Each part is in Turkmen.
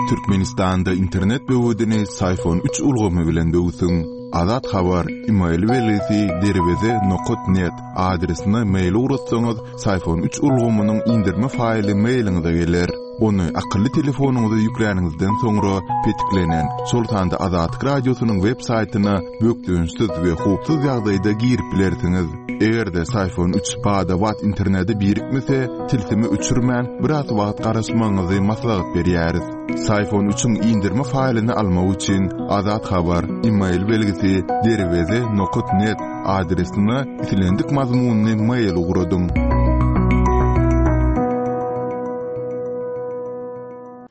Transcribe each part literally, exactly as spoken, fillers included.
Türkmenistanda internet böwedini Syfon üç ulgamy bilen böwsüň. Azat Habar, email belgisi derweze nokat net adresine mail ugratsaňyz, Syfon üç ulgamynyň indirme faýly mailiňize geler. Ony akylly telefonyňyza ýükläniňizden soňra petiklenen, şol sanda Azatlyk Radiosynyň web saýtyna bökdençsiz we howpsuz ýagdaýda girip bilersiňiz. Eger-de Syfon üç bada-bat internete birikmese, tilsimi öçürmän biraz wagt garaşmagyňyzy maslahat berýäris. Syfon üçiň indirme faýlyny almak üçin Azat Habar, email belgisi derweze nokat net adresine islendik mazmunyny mail ugradyň.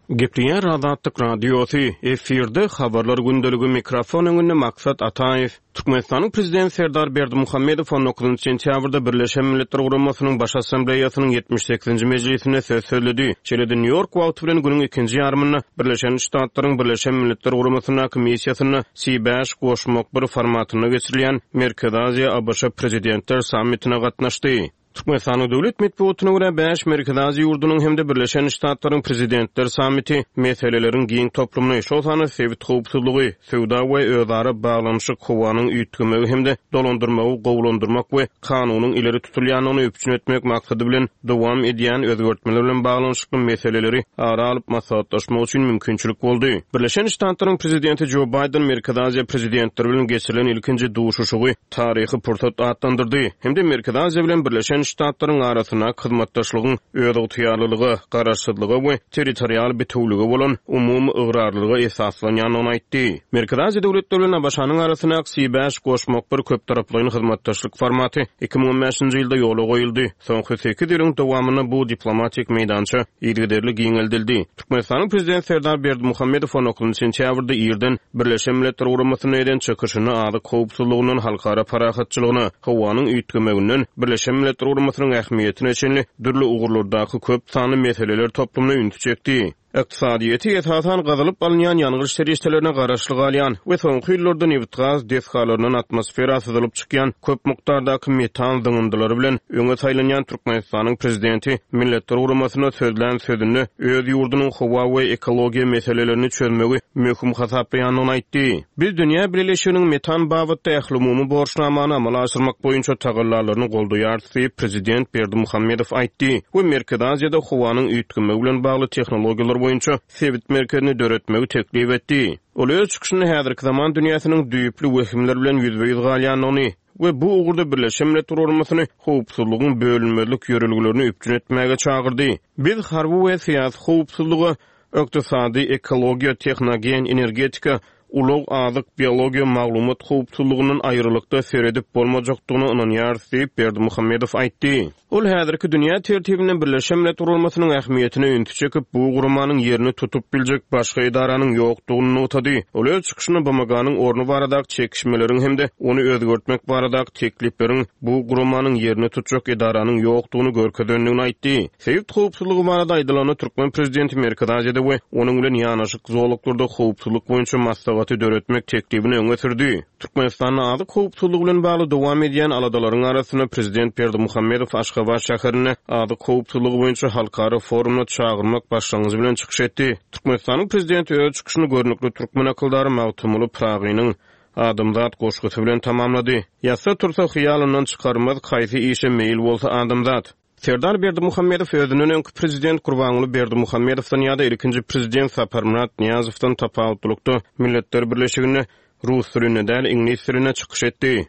Gepleýär Azatlyk Radiosy, efirde habarlar gündeligi, mikrofon öňünde Maksat Ataýew. Türkmenistanyň Prezidenti Serdar Berdimuhamedow on dokuzynjy sentýabrda Birleşen Milletler Guramasynyň Baş Assambleýasynyň ýetmiş sekizinji mejlisinde söz sözledi. Şeýle-de Nýu-Ýork wagty bilen günüň ikinji ýarymynda Birleşen Ştatlaryň Birleşen Milletler Guramasyndaky missiýasynda C bäş goşmak bir formatynda geçirilýän Merkezi Aziýa A B Ş Prezidentler sammitine gatnaşdy. Türkmenistanyň döwlet metbugatyna görä bäş Merkezi Aziýa ýurdunyň hem-de Birleşen Ştatlaryň Prezidentler sammiti meseleleriň giň toplumyny, şol sanda sebit howpsuzlygy, söwda we özara baglanyşyk, howanyň üýtgemegi hem-de dolandyrmagy gowulandyrmak we kanunyň ileri tutulýandygyny üpjün etmek maksady bilen dowam edýän özgertmeler bilen baglanyşykly meseleleri ara alyp maslahatlaşmak üçin mümkinçilik boldy. Birleşen Ştatlaryň Prezidenti Joe Biden Merkezi Aziýa prezidentleri bilen geçirilen ilkinji duşuşygy taryhy pursat atlandyrdy. Hem-de Merkezi Aziýa bilen Birleşen Ştatlaryň arasyndaky hyzmatdaşlygyň özygtyýarlylyga, garaşsyzlyga we territorial bitewlige bolan umumy ygrarlylyga esaslanýandygyny aýtdy. Merkezi Aziýa döwletleri bilen A B Ş-nyň arasyndaky C bäş goşmak bir köptaraplaýyn hyzmatdaşlyk formaty iki müň on bäşinji ýylda ýola goýuldy. Soňky sekiz ýylyň dowamynda bu diplomatik meýdança yzygiderli giňeldildi. Türkmenistanyň Prezidenti Serdar Berdimuhamedow on dokuzynjy sentýabrda irden Birleşen Milletler Guramasyna eden çykyşynda azyk howpsuzlygyndan halkara parahatçylygyna, howanyň üýtgemeginden Birleşen Milletler Guramasynyň ähmiýetine çenli dürli ugurlardaky köp sanly meseleler toplumyna ünsi çekdi. Ykdysadyýeti esasan gazylyp alynýan ýangyç serişdelerine garaşly galýan we soňky ýyllarda nebit-gaz desgalaryndan atmosfera syzylyp çykýan köp mukdardaky metan zyňyndylary bilen öňe saýlanýan Türkmenistanyň Prezidenti Milletler Guramasyna sözlän sözünde öz ýurdunyň howa we ekologiýa meselelerini çözmegi möhüm hasaplaýandygyny aýtdy. Biz dünýä bileleşiginiň metan babatda ählumumy borçnamany amala aşyrmak boýunça tagallalaryny goldaýarys diýip Prezident Berdimuhamedow aýtdy we Merkezi Aziýada howanyň üýtgemegi bilen bagly tehnologiýalar boýunça sebit merkezini döretmegi teklip etdi. Ol öz çykyşynda häzirki zaman dünýäsiniň düýpli wehimler bilen ýüzbe-ýüz galýandygyny we bu ugurda Birleşen Milletler Guramasyny howpsuzlygyň bölünmezlik ýörelgelerini üpjün etmäge çagyrdy. Biz harby we syýasy howpsuzlyga, ykdysady, ekologiýa, tehnogen, energetika, ulag, azyk, biologiýa, maglumat howpsuzlygyndan aýrylykda seredip bolmajakdygyna ynanýarys diýip Berdimuhamedow aýtdy. Ol häzirki dünýä tertibinde Birleşen Milletler Guramasynyň ähmiýetine ünsi çekip, bu guramanyň ýerini tutup biljek başga edaranyň ýokdugyny nygtady. Ol öz çykyşynda B M G-nyň orny baradaky çekişmeleriň hem-de ony özgertmek baradaky teklipleriň bu guramanyň ýerini tutjak edaranyň ýokdugyny görkezendigini aýtdy. Sebit howpsuzlygy barada aýdylanda Türkmen prezidenti Merkezi Aziýada we onuň bilen ýanaşyk zolaklarda howpsuzlyk boýunça maslahaty döretmek teklibini öňe sürdi. Türkmenistanda azyk howpsuzlygy bilen bagly dowam edýän aladalaryň arasynda Prezident Berdimuhamedow Aşgabat şäherinde azyk howpsuzlygy boýunça halkara forumyna çagyrmak başlangyjy bilen çykyş etdi. Türkmenistanyň prezidenti öz çykyşyny görnükli türkmen akyldary Magtymguly Pyragynyň Adamzat goşgusy bilen tamamlady. Ýatsa tursa hyýalyndan çykarmaz, kaýsy işe meýil bolsa adamzat. Serdar Berdimuhamedow özünden öňki prezident Gurbanguly Berdimuhamedowdan ýa-da ilkinji prezident Saparmyrat Nyýazowdan tapawutlylykda Milletler Birleşiginde rus dilinde däl, iňlis dilinde çykyş etdi.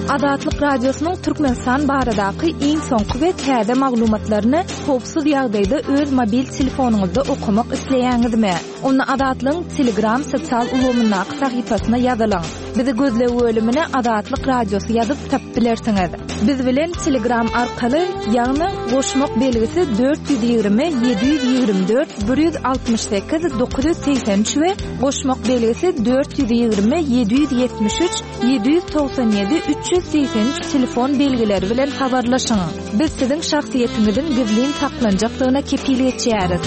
Azatlyk Radiosynyň Türkmenistan baradaky iň soňky we täze maglumatlaryny howpsuz ýagdaýda öz mobil telefonyňyzda okamak isleýäňizmi? Onda Azatlygyň Telegram sosial ulgamyndaky sahypasyna ýazylyň. Bizi gözleg bölümine Azatlyk Radiosy ýazyp tapyp bilersiňiz. Biz bilen Telegram arkaly, ýagny goşmak belgisi dört ýüz ýigrimi, ýedi ýüz ýigrimi dört, bir ýüz altmyş sekiz, dokuz ýüz segsen üç we goşmak belgisi dört ýüz ýigrimi, ýedi ýüz ýetmiş üç, ýedi ýüz togsan ýedi, üç ýüz segsen üç telefon belgileri bilen habarlaşyň. Biz siziň şahsyýetiňiziň gizlin saklanjakdygyna kepil geçýäris.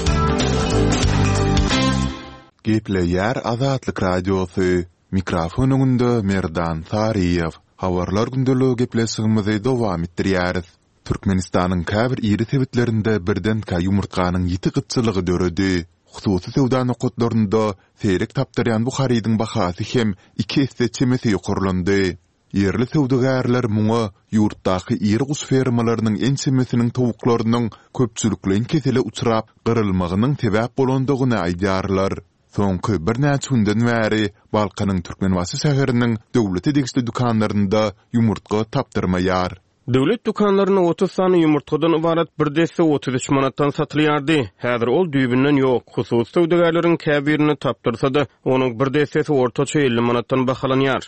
Gepleýär Azatlyk Radiosy. Mikrofon öňünde Merdan Saryýew. Habarlar gündeligi gepleşigimizi dowam etdirýäris. Türkmenistanyň käbir iri sebitlerinde birdenkä ýumurtganyň ýiti gytçylygy döredi. Hususy söwda nokatlarynda seýrek tapdyrýan bu harydyň bahasy hem iki esse çemesi ýokarlandy. Ýerli söwdagärler muňa ýurtdaky iri guş fermalarynyň ençemesiniň towuklarynyň köpçülikleýin kesele uçrap, gyrylmagynyň sebäp bolandygyny aýdýarlar. Soňky birnäçe günden bäri Balkanyň Türkmenbaşy şäheriniň döwlete degişli dükanlarynda ýumurtga tapdyrmaýar. Döwlet dükanlarynda otuz sany ýumurtgadan ybarat bir desse otuz üç manatdan satylýardy. Häzir ol düýbünden ýok. Hususy söwdagärleriň käbirinde tapdyrsa-da, onuň bir dessesi ortaça elli manatdan bahalanýar.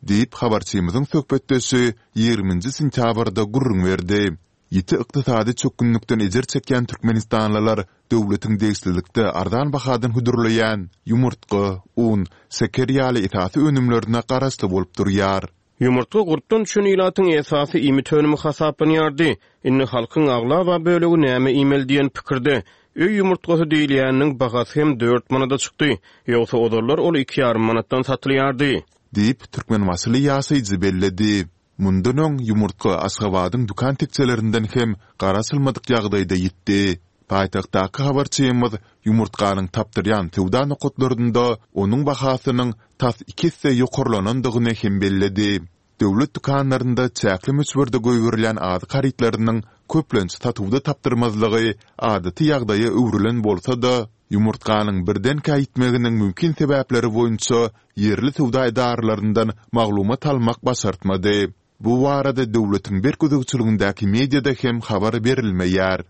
Diýip, habarçymyzyň söhbetdeşi ýigriminji sentýabrda gürrüň berdi. Ýiti ykdysady çökgünlikden ejir çekýän türkmenistanlylar döwletiň degişlilikde arzan bahadan hödürleýän ýumurtga, un, şeker ýaly esasy önümlerine garaşly bolup durýar. Ýumurtga gurpdan düşen ilatyň esasy iýmit önümi hasaplanýardy. Indi halkyň aglaba bölegi näme iýmeli diýen pikirde. Öý ýumurtgasy diýilýäniniň bahasy hem dört manada çykdy. Ýogsa ozallar ol iki ýarym manatdan satylýardy. Diýip, türkmenbaşyly ýaşaýjy belledi. Mundan öň ýumurtga Aşgabadyň dükan tekjelerinden hem garaşylmadyk ýagdaýda ýitdi. Paýtagtdaky habarçymyz ýumurtganyň tapdyrýan söwda nokatlarynda onuň bahasynyň tas iki esse ýokarlanandygyny hem belledi. Döwlet dükanlarynda çäkli möçberde goýberilýän azyk harytlarynyň köplenç satuwda tapdyrmazlygy adaty ýagdaýa öwrülen bolsa-da, ýumurtganyň birdenkä ýitmeginiň mümkin sebäpleri boýunça ýerli söwda edaralaryndan maglumat almak başartmady. Bu barada döwletiň berk gözegçiligindäki mediada hem habar berilmeýär.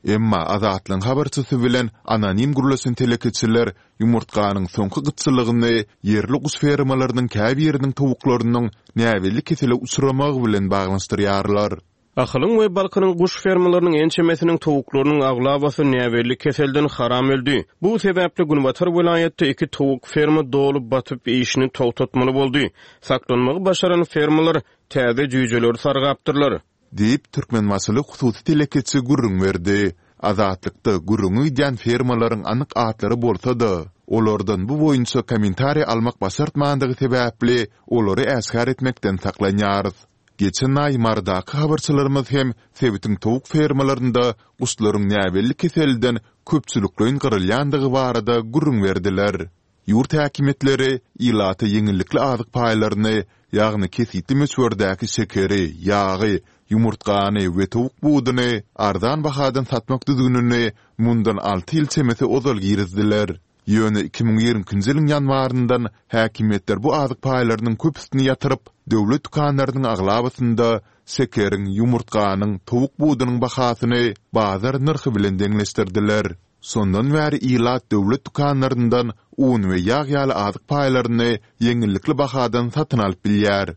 Emma Azatlygyň habarçysy bilen anonim gürleşen telekeçiler ýumurtganyň soňky gytçylygyny ýerli guş fermalarynyň käbiriniň towuklarynyň näbelli kesele uçramagy bilen baglanyşdyrýarlar. Ahalyň we Balkanyň guş fermalarynyň ençemesiniň towuklarynyň aglabasy näbelli keselden haram öldi. Bu sebäpli günbatar welaýatda iki towuk ferma doly batyp işini togtatmaly boldy. Saklanmagy başaran fermalar täze jüýjeleri sargapdyrlar. Diýip, türkmenbaşyly hususy telekeçi gürrüň berdi. Azatlykda gürrüňi gidýän fermalaryň anyk atlary bolsa-da, olardan bu boýunça kommentariý almak başartmandygy sebäpli, olary äşgär etmekden saklanýarys. Geçen aý Marydaky habarçylarymyz hem sebitiň towuk fermalarynda guşlaryň näbelli keselden köpçülikleýin gyrylýandygy barada gürrüň berdiler. Ýurt häkimiýetleri ilata ýeňillikli azyk paýlaryny, ýagny kesgitli möçberdäki şekeri, ýagy, ýumurtgany we towuk buduny arzan bahadan satmak düzgünini mundan alty ýyl çemesi ozal girizdiler. Ýöne iki müň ýigrimi ikinji ýylyň ýanwaryndan häkimiýetler bu azyk paýlarynyň köpüsini ýatyryp, döwlet dükanlarynyň aglabasynda şekeriň, ýumurtganyň, towuk budunyň bahasyny bazar nyrhy bilen deňleşdirdiler. Şondan bäri ilat döwlet dükanlaryndan un we ýag ýaly azyk paýlaryny ýeňillikli bahadan satyn alyp bilýär.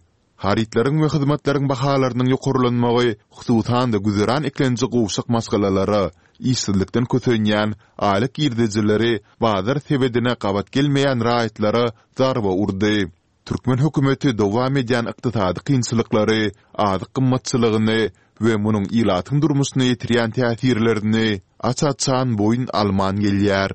Harytlaryň we hyzmatlaryň bahalarynyň ýokarlanmagy hususan-da güzeran eklenji gowşak maşgalalara, işsizlikden kösenýän, aýlyk girdejileri bazar sebedine gabat gelmeýän raýatlara zarba urdy. Türkmen hökümeti dowam edýän ykdysady kynçylyklary, azyk gymmatçylygyny we munuň ilatyň durmuşyna ýetirýän täsirlerini aç-açan boýun alman gelýär.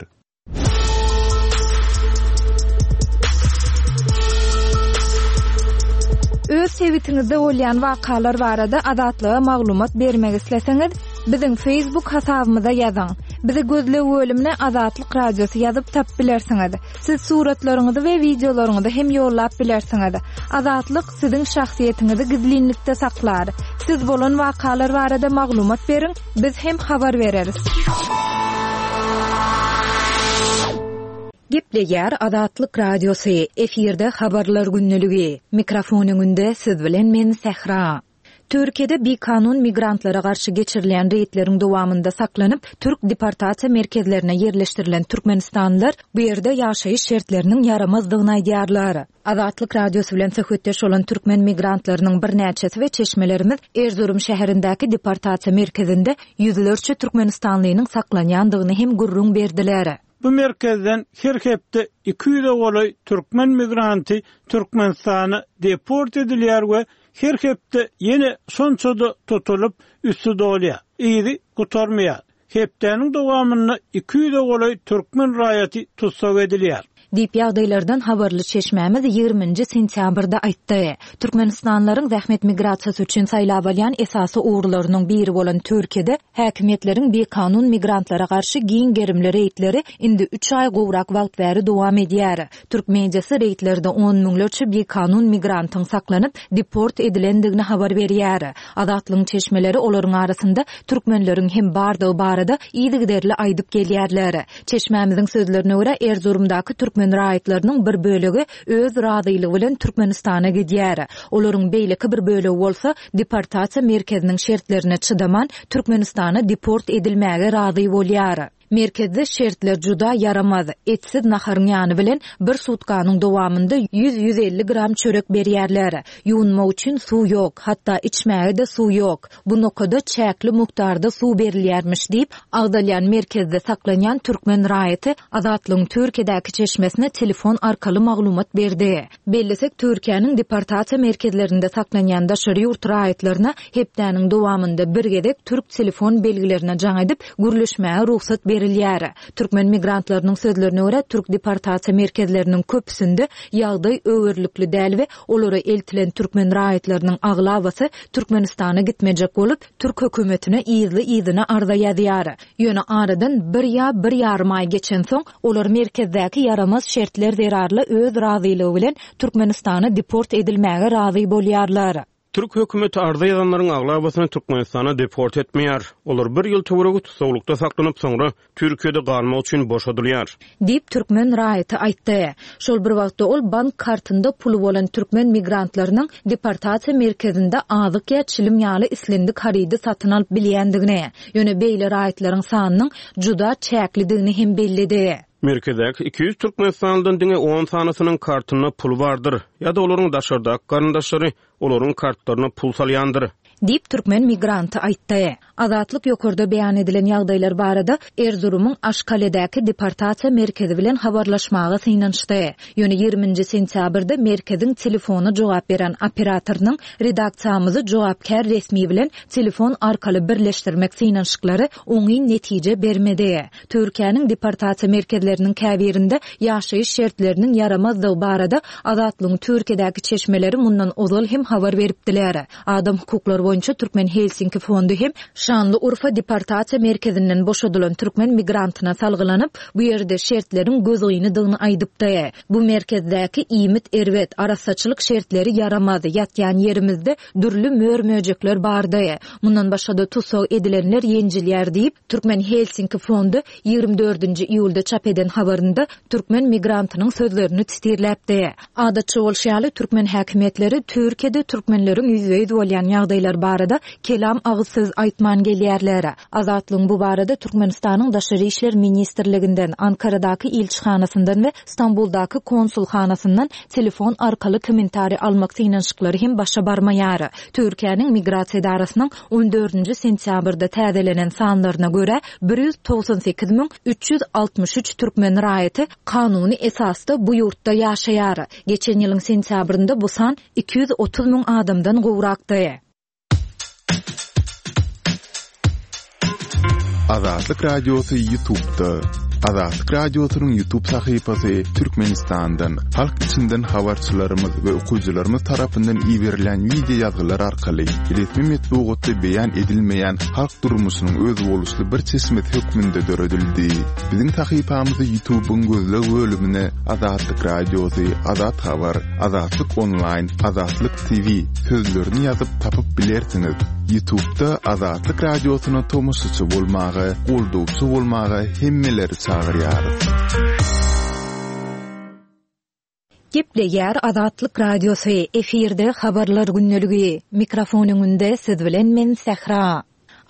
Öz sebitiňizde bolýan wakalar barada Azatlyga maglumat bermek isleseňiz, biziň Facebook hasabymyza ýazyň. Bizi gözleg bölümine Azatlyk Radiosy ýazyp tapyp bilersiňiz. Siz suratlaryňyzy we wideolaryňyzy hem ýollap bilersiňiz. Azatlyk siziň şahsyýetiňizi gizlinlikde saklar. Siz bolan wakalar barada maglumat beriň, biz hem habar bereris. Gepleýär Azatlyk Radiosy, efirde habarlar gündeligi. Mikrofon öňünde siz bilen men Sähra. Türkiýede bikanun migrantlara garşy geçirilýän reýdleriň dowamynda saklanyp, türk deportasiýa merkezlerine ýerleşdirilen türkmenistanlylar bu ýerde ýaşaýyş şertleriniň ýaramazdygyny aýdýarlar. Azatlyk Radiosy bilen söhbetdeş bolan türkmen migrantlarynyň birnäçesi we çeşmelerimiz Erzurum şäherindäki deportasiýa merkezinde ýüzlerçe türkmenistanlynyň saklanýandygyny hem gürrüň berdiler. Bu merkezden her hepde iki ýüze golaý türkmen migranty Türkmenistana deport edilýär we her hepde ýene şonça-da tutulyp, üsti dolýar. Yzy gutarmaýar. Hepdäniň dowamynda iki ýüze golaý türkmen raýaty tussag edilýär. Diýip ýagdaýlardan habarly çeşmämiz ýigriminji sentýabrda aýtdy. Türkmenistanlylaryň zähmet migrasiýasy üçin saýlap alýan esasy ugurlarynyň biri bolan Türkiýede häkimiýetleriň bikanun migrantlara garşy giň gerimli reýdleri indi üç aý gowrak wagt bäri dowam edýär. Türk mediasy reýdlerde on müňlerçe bikanun migrantyň saklanyp, deport edilendigini habar berýär. Azatlygyň çeşmeleri olaryň arasynda türkmenleriň hem bardygy barada yzygiderli aýdyp gelýärler. Çeşmämiziň sözlerine görä, Erzurumdaky türkmen raýatlarynyň bir bölegi öz razylygy bilen Türkmenistana gidýär. Olaryň beýleki bir bölegi bolsa deportasiýa merkeziniň şertlerine çydaman Türkmenistana deport edilmäge razy bolýar. Merkezde şertler juda ýaramaz. Etsiz naharyň ýany bilen bir sutkanyň dowamynda ýüz-ýüz elli gram çörek berýärler. Ýuwunmak üçin suw ýok, hatda içmäge-de suw ýok. Bu nokada çäkli mukdarda suw berilýärmiş diýip, agzalýan merkezde saklanýan türkmen raýaty Azatlygyň Türkiýedäki çeşmesine telefon arkaly maglumat berdi. Bellesek, Türkiýäniň deportasiýa merkezlerinde saklanýan daşary ýurt raýatlaryna hepdäniň dowamynda bir gezek türk telefon belgilerine jaň edip, gürleşmäge rugsat berilýär. Türkmen migrantlarynyň sözlerine görä, türk deportasiýa merkezleriniň köpüsinde ýagdaý öwerlikli däl we olara eltilen türkmen raýatlarynyň aglabasy Türkmenistana gitmejek bolup, türk hökümetine yzly-yzyna arza ýazýar. Ýöne aradan bir ýa bir ýarym aý geçensoň, olar merkezdäki ýaramaz şertler zerarly öz razylygy bilen Türkmenistana deport edilmäge razy bolýarlar. Türk hökümeti arza ýazanlaryň aglabasyny Türkmenistana deport etmeýär. Olar bir ýyl töweregi tussaglykda saklanyp, soňra Türkiýede galmak üçin boşadylýar. Diýip, türkmen raýaty aýtdy. Şol bir wagtda ol bank kartynda puly bolan türkmen migrantlarynyň deportasiýa merkezinde azyk ýa çilim ýaly islendik harydy satyn alyp bilýändigini, ýöne beýle raýatlaryň sanynyň juda çäklidigini hem belledi. Merkezdäki iki ýüz türkmenistanlydan diňe on sanysynyň kartynda pul bardyr ýa-da olaryň daşardaky garyndaşlary olaryň kartlaryna pul salýandyr. Diýip, türkmen migranty aýtdy. Azatlyk ýokarda beýan edilen ýagdaýlar barada Erzurumyň Aşkaledäki deportasiýa merkezi bilen habarlaşmaga synanyşdy. Ýöne ýigriminji sentýabrda merkeziň telefona jogap beren operatorynyň redaksiýamyzy jogapkär resmi bilen telefon arkaly birleşdirmek synanyşyklary oňyn netije bermedi. Türkiýäniň deportasiýa merkezleriniň käbirinde ýaşaýyş şertleriniň ýaramazdygy barada Azatlygyň Türkiýedäki çeşmeleri mundan ozal hem habar beripdiler. Adam hukuklary boýunça Türkmen Helsinki fondy hem Şanlyurfa deportasiýa merkezinden boşadylan türkmen migrantyna salgylanyp, bu ýerde şertleriň gözgynydygyny aýdypdy. Bu merkezdäki iýmit erbet, arassaçylyk şertleri ýaramaz, ýatýan ýerimizde dürli mör-möjekler bardy. Mundan başga-da tussag edilenler ýenjilýär diýip, Türkmen Helsinki fondy ýigrimi dördünji iýulda çap eden habarynda türkmen migrantynyň sözlerini titirläpdi. Adatça bolşy ýaly, türkmen häkimiýetleri Türkiýede türkmenleriň ýüzbe-ýüz bolýan ýagdaýlar barada kelam agyz söz aýtman gelýärler. Azatlygyň bu barada Türkmenistanyň Daşary işler ministrliginden, Ankaradaky ilçihanasyndan we Stambuldaky konsulhanasyndan telefon arkaly kommentariý almak synanyşyklary hem başa barmaýar. Türkiýäniň migrasiýa edarasynyň on dördünji sentýabrda täzelenen sanlaryna görä, bir ýüz togsan sekiz müň üç ýüz altmyş üç türkmen raýaty kanuny esasda bu ýurtda ýaşaýar. Geçen ýylyň sentýabrynda bu san iki ýüz otuz müň adamdan gowrakdy. Azatlyk Radiosy YouTube'da. Azatlyk Radiosynyň YouTube sahypasy Türkmenistandan, halk içinden habarçylarymyz we okyjylarymyz tarapyndan iberilen wideo ýazgylar arkaly resmi metbugatda beýan edilmeýän halk durmuşynyň özboluşly bir çeşmesi hökmünde döredildi. Biziň sahypamyzy YouTube'yň gözleg bölümine Azatlyk Radiosy, Azat Habar, Azatlyk Online, Azatlyk T V sözlerini ýazyp tapyp bilersiňiz. YouTube'da Azatlyk Radiosyna tomaşaçy bolmaga, goldawçy bolmaga hemmeleri çagyrýarys. Gepleýär Azatlyk Radiosy, efirde habarlar gündeligi. Mikrofon öňünde siz bilen men Sähra.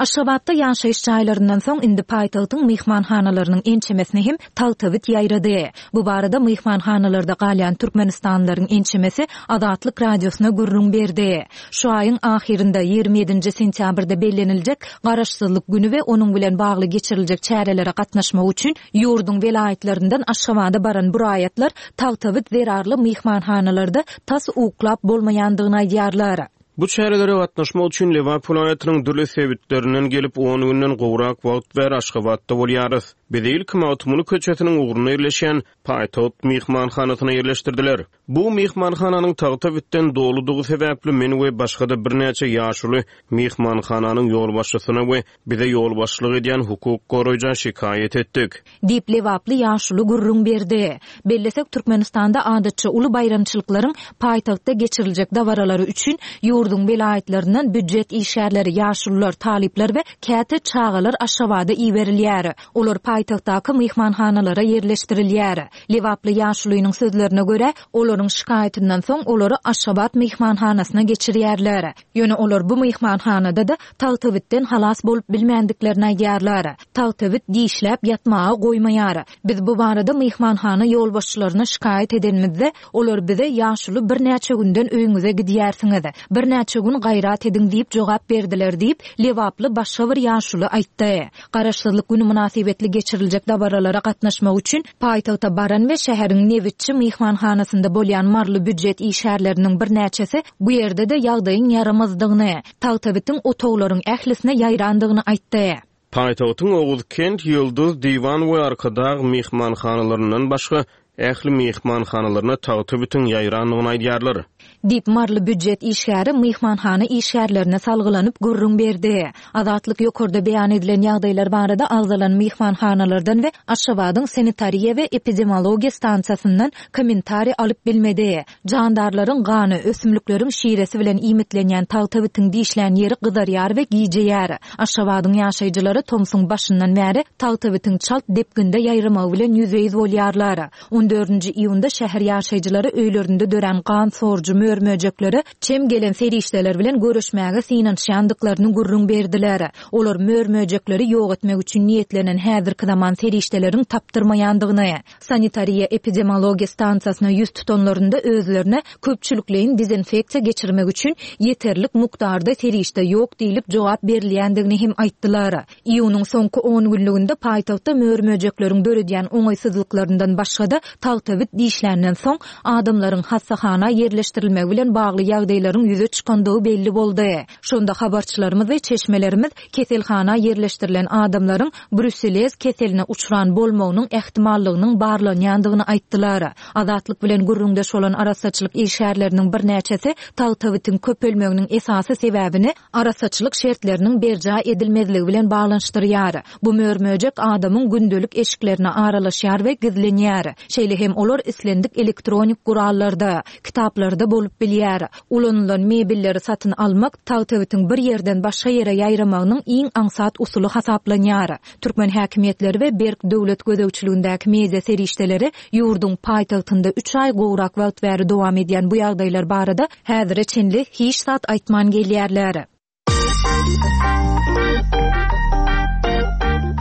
Aşgabatda ýaşaýyş jaýlaryndan soň indi paýtagtyň myhmanhanalarynyň ençemesine hem tagtabit ýaýrady. Bu barada myhmanhanalarda galýan türkmenistanlylaryň ençemesi Azatlyk Radiosyna gürrüň berdi. Şu aýyň ahyrynda ýigrimi ýedinji sentýabrda belleniljek Garaşsyzlyk günü we onuň bilen bagly geçiriljek çärelere gatnaşmak üçin ýurduň welaýatlaryndan Aşgabada baran bu raýatlar tagtabit zerarly myhmanhanalarda tas uklap bolmaýandygyny aýdýarlar. Bu çärelere gatnaşmak üçin Lebap welaýatynyň dürli sebitlerinden gelip on günden gowrak wagt bäri Aşgabatda bolýarys. Bizi ilki Magtymguly köçesiniň ugrunda ýerleşen Paýtagt myhmanhanasyna ýerleşdirdiler. Bu myhmanhananyň tagtabitden doludygy sebäpli men we başga-da birnäçe ýaşuly myhmanhananyň ýolbaşçysyna we bize ýolbaşçylyk edýän hukuk goraýja şikaýat etdik. Diýip Lebaply ýaşuly gürrüň berdi. Bellesek, Türkmenistanda adatça uly baýramçylyklaryň paýtagtda geçiriljek dabaralary üçin ýurduň welaýatlaryndan býujet işgärleri, ýaşulular, talyplar we käte çagalar Aşgabada iberilýär. Olar paýtagtdaky myhmanhanalara ýerleşdirilýär. Lebaply ýaşulynyň sözlerine görä, olaryň şikaýatyndan soň olary Aşgabat myhmanhanasyna geçirýärler. Ýöne olar bu myhmanhanada-da tagtabitden halas bolup bilmändiklerini aýdýarlar. Tagtabit dişläp ýatmaga goýmaýar. Biz bu barada myhmanhana ýolbaşçylaryna şikaýat edenimizde, olar bize ýaşuly birnäçe günden öýüňize gidýärsiňiz. Birnäçe gün gaýrat ediň diýip jogap berdiler diýip, Lebaply başga bir ýaşuly aýtdy. Garaşsyzlyk günü mynasybetli geçiriljek dabaralara gatnaşmak üçin paýtagta baran we şäheriň nebitçi myhmanhanasynda bolýan maryly býujet işgärleriniň birnäçesi bu ýerde-de ýagdaýyň ýaramazdygyny, tagtabitiň otaglaryň ählisine ýaýrandygyny aýtdy. Paýtagtyň Oguzkent, Ýyldyz, Diwan we Arkadag myhmanhanalaryndan başga ähli myhmanhanalaryna tagtabitiň ýaýrandygyny aýdýarlar. Diýip maryly býujet işgäri myhmanhana işgärlerine salgylanyp gürrüň berdi. Azatlyk ýokarda beýan edilen ýagdaýlar barada agzalan myhmanhanalardan we Aşgabadyň sanitariýa we epidemiologiýa stansiýasyndan kommentariý alyp bilmedi. Jandarlaryň gany, ösümlikleriň şiresi bilen iýmitlenýän tagtabitiň dişlän ýeri gyzarýar we gijeýär. Aşgabadyň ýaşaýjylary tomsuň başyndan bäri tagtabitiň çalt depginde ýaýramagy bilen ýüzbe-ýüz bolýarlar. On dördünji iýunda şäher ýaşaýjylary öýlerinde dörän gan sorujy mör-möjeklere çem gelen serişdeler bilen görüşmäge synanyşýandyklaryny gürrüň berdiler. Olar mör-möjekleri ýok etmek üçin niýetlenen häzirki zaman serişdeleriň tapdyrmaýandygyny, sanitariýa epidemiologiýa stansiýasyna ýüz tutanlarynda özlerine köpçülikleýin dezinfeksiýa geçirmek üçin ýeterlik mukdarda serişde ýok diýlip jogap berilýändigini hem aýtdylar. Iýunyň soňky on günlüginde paýtagtda mör-möjekleriň döredýän oňaýsyzlyklaryndan başga-da tagtabit dişländen soň adamlaryň hassahana ýerleşdirilmegi bilen bagly ýagdaýlaryň ýüze çykandygy belli boldy. Şonda habarçylarymyz we çeşmelerimiz keselhana ýerleşdirilen adamlaryň bruselez keseline uçran bolmagynyň ähtimallygynyň barlanýandygyny aýtdylar. Azatlyk bilen gürrüňdeş bolan arassaçylyk işgärleriniň birnäçesi tagtabitiň köpelmeginiň esasy sebäbini arassaçylyk şertleriniň berjaý edilmezligi bilen baglanyşdyrýar. Bu mör-möjek adamyň gündelik eşiklerine aralaşýar we gizlenýär. Şeýle hem olar islendik elektronik gurallarda, kitaplarda bolup bilýär. Ulanylan mebelleri satyn almak tagtabitiň bir ýerden başga ýere ýaýramagynyň iň aňsat usuly hasaplanýar. Türkmen häkimiýetleri we berk döwlet gözegçiligindäki media serişdeleri ýurduň paýtagtynda üç aý gowrak wagt bäri dowam edýän bu ýagdaýlar barada häzire çenli hiç zat aýtman gelýärler.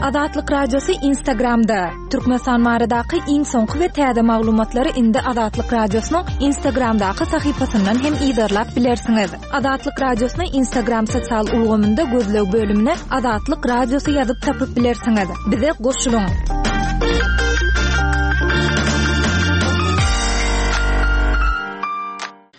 Azatlyk Radiosy Instagramda. Türkmenistan baradaky iň soňky we täze maglumatlary indi Azatlyk Radiosynyň Instagramdaky sahypasyndan hem yzarlap bilersiňiz. Azatlyk Radiosyny Instagram sosial ulgamynda gözleg bölümine Azatlyk Radiosy ýazyp tapyp bilersiňiz. Bize goşulyň.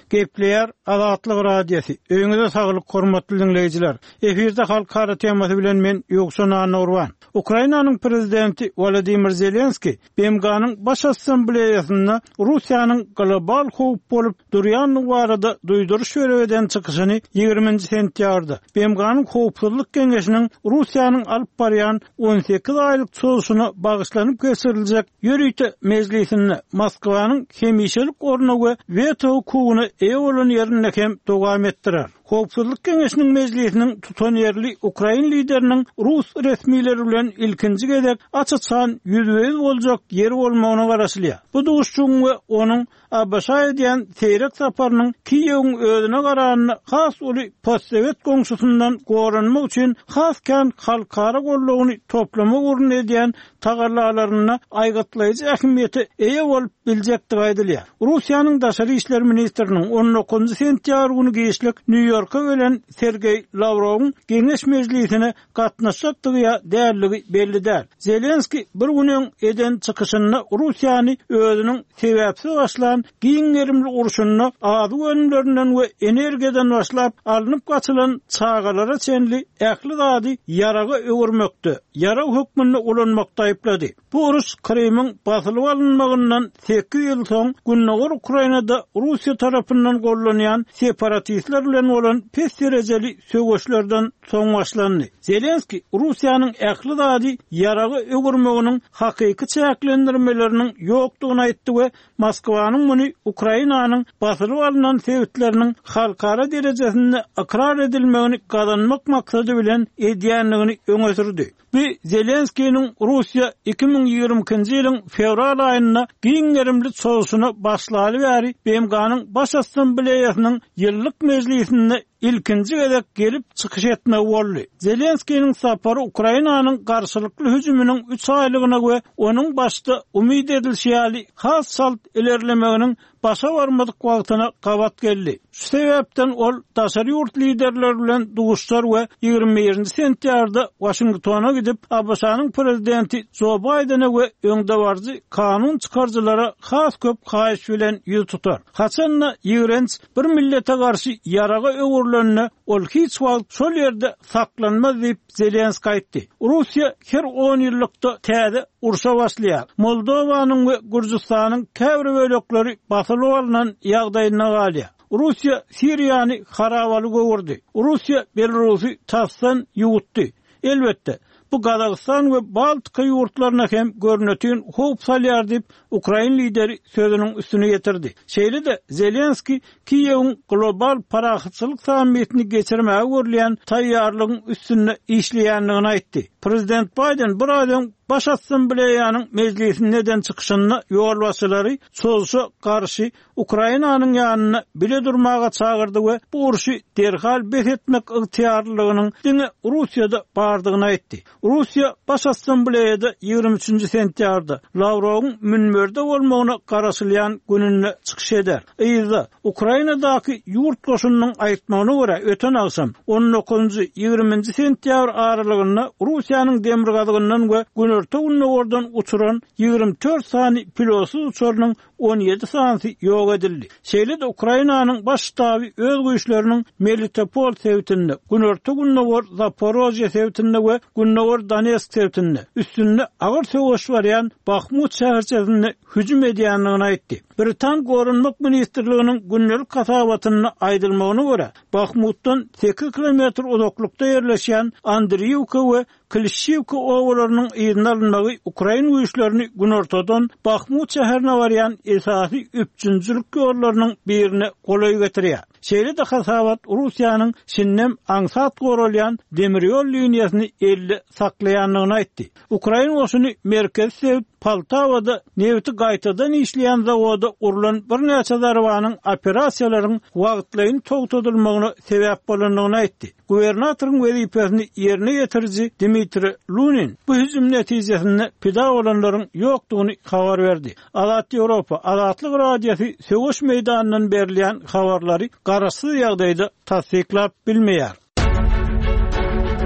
Gepleýär Azatlyk Radiosy. Öýüňize saglyk, hormatly dinleýjiler. Efirde halkara temasy bilen men Ýowşan Annaurban. Ukrainanyň prezidenti Wladimir Zelenski B M G-nyň Baş Assambleýasynda Russiýanyň global howp bolup durýandygy barada duýduryş berip eden çykyşyny ýigriminji sentýabrda B M G-nyň Howpsuzlyk Geňeşiniň Russiýanyň alyp barýan on sekiz aýlyk çozuşyna bagyşlanyp geçiriljek ýörite mejlisinde Moskwanyň hemişelik orny we weto hukugyna eýe bolan ýerinde hem dowam etdirer. Howpsuzlyk Geňeşiniň mejlisiniň tutan ýerli Ukrain lideriniň Rus resmileri bilen ilkinji gezek aç-açan ýüzbe-ýüz boljak ýeri bolmagyna garaşylýar. Bu duşuşygyň we onuň A B Ş edýän seýrek saparynyň Kiýewiň özüne garanyny has uly postsowet goňşusundan goranmak üçin has kän halkara gollugyny toplama ugrunda edýän tagallalarynda aýgytlaýjy ähmiýete eýe bolup biljekdigi aýdylýar. Russiýanyň Daşary işler ministriniň on dokuzynjy sentýabr güni giçlik Nýu-Ýorkda Nýu-Ýorka gelen Sergeý Lawrowyň geňeş mejlisine gatnaşjakdygy ýa dälligi belli däl. Zelenskiý bir gün öň eden çykyşynda Russiýany özüniň sebäpsiz başlan giň gerimli urşunda azyk önümlerinden we energiýadan başlap alnyp gaçylan çagalara çenli ähli zady ýaraga öwürmekde, ýarag hökmünde ulanmakda aýyplady. Bu uruş Krymyň basylyp alynmagyndan sekiz ýyl soň Gündogar Ukrainada Russiýa tarapyndan gollanýan separatistler bilen bolan pes derejeli söweşlerden soň başlandy. Zelenskiý Russiýanyň ähli zady ýaraga öwürmeginiň hakyky çäklendirmeleriniň ýokdugyny aýtdy we Moskwanyň muny Ukrainanyň basylyp alnan sebitleriniň halkara derejesinde ykrar edilmegini gazanmak maksady bilen edýändigini öňe sürdi. Bu Zelenskiniň Russiýa iki müň ýigrimi ikinji ýylyň fewral aýynda giň gerimli çozuşyna başlaly bäri B M G-nyň Baş Assambleýasynyň ýyllyk mejlisinde ilkinji gezek gelip çykyş etmegi boldy. Zelenskiniň sapary Ukrainanyň garşylykly hüjüminiň üç aýlygyna we onuň başda umyt edilişi ýaly has çalt ilerlemeginiň başa barmadyk wagtyna gabat geldi. Şu sebäpden ol daşary ýurt liderleri bilen duşuşar we ýigrimi birinji sentýabrda Waşingtona gidip A B Ş-nyň prezidenti Joe Biden'e we öňdebaryjy kanun çykaryjylara has köp haýyş bilen ýüz tutar. Haçanda ýigrenç bir millete garşy ýaraga öwrülenine ol hiç wagt şol ýerde saklanmaz diýip Zelenskiý aýtdy. Russiýa her on ýyllykda täze urşa başlaýar. Moldowanyň we Gürjüstanyň käbir bölekleri basylyp alnan ýagdaýyna galýar. Russiýa Siriýany harabaly göwürdi. Russiýa Belarusy tasdan ýuwutdy. Elbetde, bu Gazagystan we Baltika ýurtlaryna hem görnütün howp salýar diýip Ukrain lideri sözüniň üstüne getirdi. Şeýle-de Zelenskiý Kiýewiň global parahatçylyk sammitini geçirmäge görülýän taýýarlygyň üstünde işleýändigini aýtdy. Prezident Biden bir aý öň Baş Assambleýanyň mejlisinde eden çykyşynda ýolbaşçylary çozuşa garşy Ukrainanyň ýanynda bile durmaga çagyrdy we bu urşy derhal bes etmek ygtyýarlylygynyň diňe Russiýada bardygyny aýtdy. Russiýa Baş Assambleýada ýigrimi üçünji sentýabrda Lawrowyň münberde bolmagyna garaşylýan gününde çykyş eder. Yzda Ukrainadaky ýurt goşunynyň aýtmagyna görä öten agşam on dokuzunjy ýigriminji sentýabr aralygynda Russiýanyň demirgazygyndan we günorta gündogardan uçuran ýigrimi dört sany pilotsyz uçarynyň on ýedi sanysy ýok edildi. Şeýle-de Ukrainanyň baş ştaby öz güýçleriniň Melitopol sebitinde, günorta gündogar Zaporojye sebitinde we gündogar Donetsk sebitinde üstünde agyr söweş barýan Bahmut şäherçesinde hüjüm edýändigini aýtdy. Britan Goranmak Ministrliginiň gündelik hasabatynda aýdylmagyna görä, Bahmutdan sekiz kilometr uzaklykda ýerleşýän Andriýewka we Klişçiwka obalarynyň yzyna alynmagy Ukrain güýçlerini günortadan Bahmut şäherine barýan esasy üpjünçilik ýollarynyň birine golaý getirýär. Şeýle-de hasabat Russiýanyň şindem aňsat goralýan demir ýol liniýasyny elde saklaýandygyny aýtdy. Ukrain goşuny merkezi sebit Poltawada nebiti gaýtadan işleýän zawoda urlan birnäçe zarbanyň operasiýalaryň wagtlaýyn togtadylmagyna sebäp bolandygyny aýtdy. Gubernatoryň wezipesini ýerine ýetiriji Dmitri Lunin bu hüjüm netijesinde pida bolanlaryň ýokdugyny habar berdi. Azat Ýewropa, Azatlyk Radiosy söweş meýdanyndan berilýän habarlary garaşsyz ýagdaýda tassyklap bilmeýär.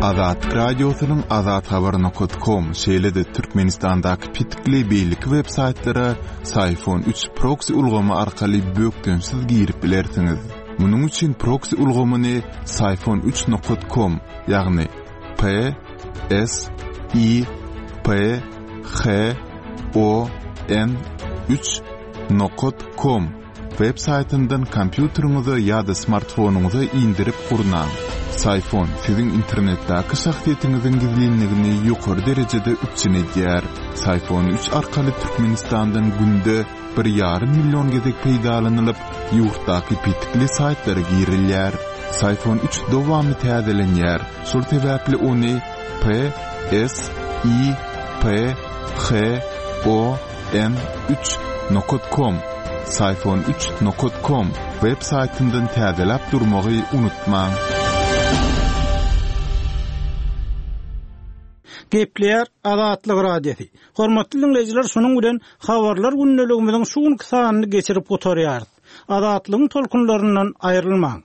Azatlyk Radiosynyň azathabar nokta com, şeýle-de Türkmenistandaky petikli beýleki web saýtlara Syfon üç proxy ulgamy arkaly bökdençsiz girip bilersiňiz. Munuň üçin proxy ulgamyny Syfon üç nokta com, ýagny P S I P H O N üç nokta com web saýtyndan kompýuteriňize ýa-da smartfonyňyza indirip gurnaň. Syfon siziň internetdäki şahsyýetiňiziň gizlinligini ýokary derejede üpjün edýär. Syfon üç arkaly Türkmenistandan günde bir ýarym million gezek peýdalanylyp, ýurtdaky petikli saýtlara girilýär. Syfon üç dowamly täzelenýär. Şol sebäpli ony P S I P H O N üç nokta com, Syfon üç nokta com web saýtyndan täzeläp durmagy unutmaň. Gepleýär Azatlyk Radiosy. Hormatly dinleýjiler, şunuň bilen habarlar gündeligimiziň şu günki sanyny geçirip gutarýarys. Azatlygyň tolkunlaryndan aýrylmaň.